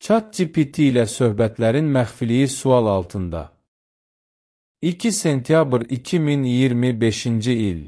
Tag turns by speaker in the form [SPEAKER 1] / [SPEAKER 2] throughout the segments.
[SPEAKER 1] ChatGPT ilə söhbətlərin məxfiliyi sual altında. 2 sentyabr 2025-ci il.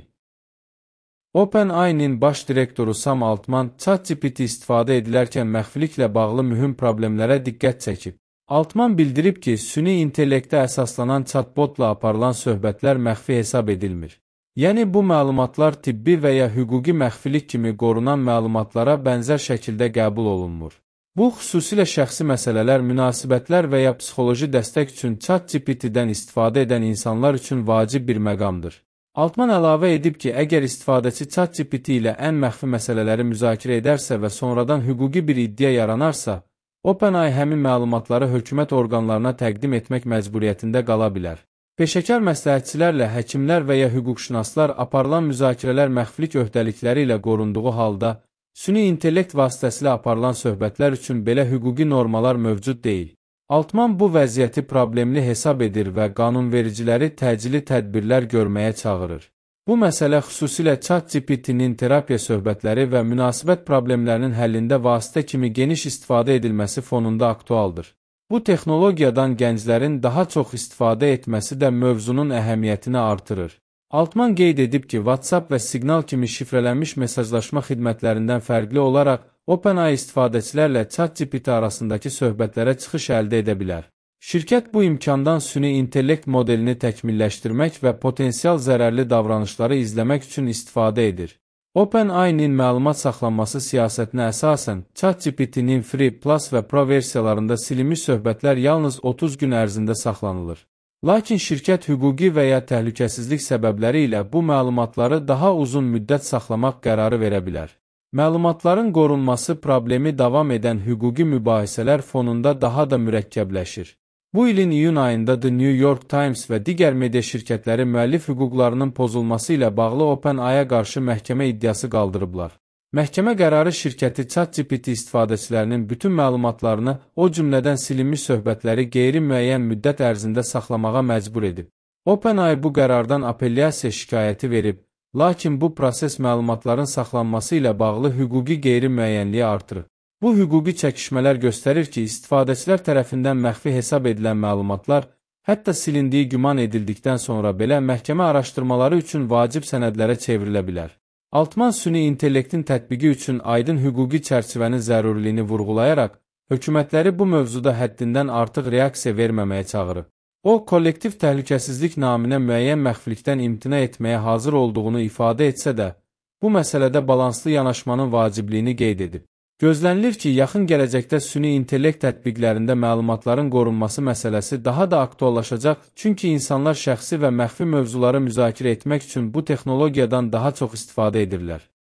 [SPEAKER 1] OpenAI-nin baş direktoru Sam Altman ChatGPT istifadə edilərkən məxfiliklə bağlı mühüm problemlərə diqqət çəkib. Altman bildirib ki, süni intellektə əsaslanan chatbotla aparılan söhbətlər məxfi hesab edilmir. Yəni, bu məlumatlar tibbi və ya hüquqi məxfilik kimi qorunan məlumatlara bənzər şəkildə qəbul olunmur. Bu, xüsusilə şəxsi məsələlər, münasibətlər və ya psixoloji dəstək üçün ChatGPT-dən istifadə edən insanlar üçün vacib bir məqamdır. Altman əlavə edib ki, əgər istifadəçi ChatGPT ilə ən məxfi məsələləri müzakirə edərsə və sonradan hüquqi bir iddia yaranarsa, OpenAI həmin məlumatları hökumət orqanlarına təqdim etmək məcburiyyətində qala bilər. Peşəkar məsləhətçilərlə həkimlər və ya hüquqşünaslar aparılan müzakirələr məxfilik öhdəlikləri ilə qorunduğu halda, süni intellekt vasitəsilə aparılan söhbətlər üçün belə hüquqi normalar mövcud deyil. Altman bu vəziyyəti problemli hesab edir və qanunvericiləri təcili tədbirlər görməyə çağırır. Bu məsələ xüsusilə ChatGPT-nin terapiya söhbətləri və münasibət problemlərinin həllində vasitə kimi geniş istifadə edilməsi fonunda aktualdır. Bu texnologiyadan gənclərin daha çox istifadə etməsi də mövzunun əhəmiyyətini artırır. Altman qeyd edib ki, WhatsApp və Signal kimi şifrələnmiş mesajlaşma xidmətlərindən fərqli olaraq, OpenAI istifadəçilərlə ChatGPT arasındakı söhbətlərə çıxış əldə edə bilər. Şirkət bu imkandan süni intellekt modelini təkmilləşdirmək və potensial zərərli davranışları izləmək üçün istifadə edir. OpenAI-nin məlumat saxlanması siyasətinə əsasən, ChatGPT-nin Free Plus və Pro versiyalarında silinmiş söhbətlər yalnız 30 gün ərzində saxlanılır. Lakin şirkət hüquqi və ya təhlükəsizlik səbəbləri ilə bu məlumatları daha uzun müddət saxlamaq qərarı verə bilər. Məlumatların qorunması problemi davam edən hüquqi mübahisələr fonunda daha da mürəkkəbləşir. Bu ilin iyun ayında The New York Times və digər media şirkətləri müəllif hüquqlarının pozulması ilə bağlı OpenAI-ya qarşı məhkəmə iddiası qaldırıblar. Məhkəmə qərarı şirkəti ChatGPT istifadəçilərinin bütün məlumatlarını, o cümlədən silinmiş söhbətləri qeyri-müəyyən müddət ərzində saxlamağa məcbur edib. OpenAI bu qərardan apellyasiya şikayəti verib, lakin bu proses məlumatların saxlanması ilə bağlı hüquqi qeyri-müəyyənliyi artırır. Bu hüquqi çəkişmələr göstərir ki, istifadəçilər tərəfindən məxfi hesab edilən məlumatlar, hətta silindiyi güman edildikdən sonra belə məhkəmə araşdırmaları üçün vacib sənədlərə çevrilə bilər. Altman süni intellektin tətbiqi üçün aydın hüquqi çərçivənin zəruriliyini vurğulayaraq, hökumətləri bu mövzuda həddindən artıq reaksiya verməməyə çağırıb. O, kollektiv təhlükəsizlik naminə müəyyən məxfilikdən imtina etməyə hazır olduğunu ifadə etsə də, bu məsələdə balanslı yanaşmanın vacibliyini qeyd edib. Gözlənilir ki, yaxın gələcəkdə süni intellekt tətbiqlərində məlumatların qorunması məsələsi daha da aktuallaşacaq, çünki insanlar şəxsi və məxfi mövzuları müzakirə etmək üçün bu texnologiyadan daha çox istifadə edirlər.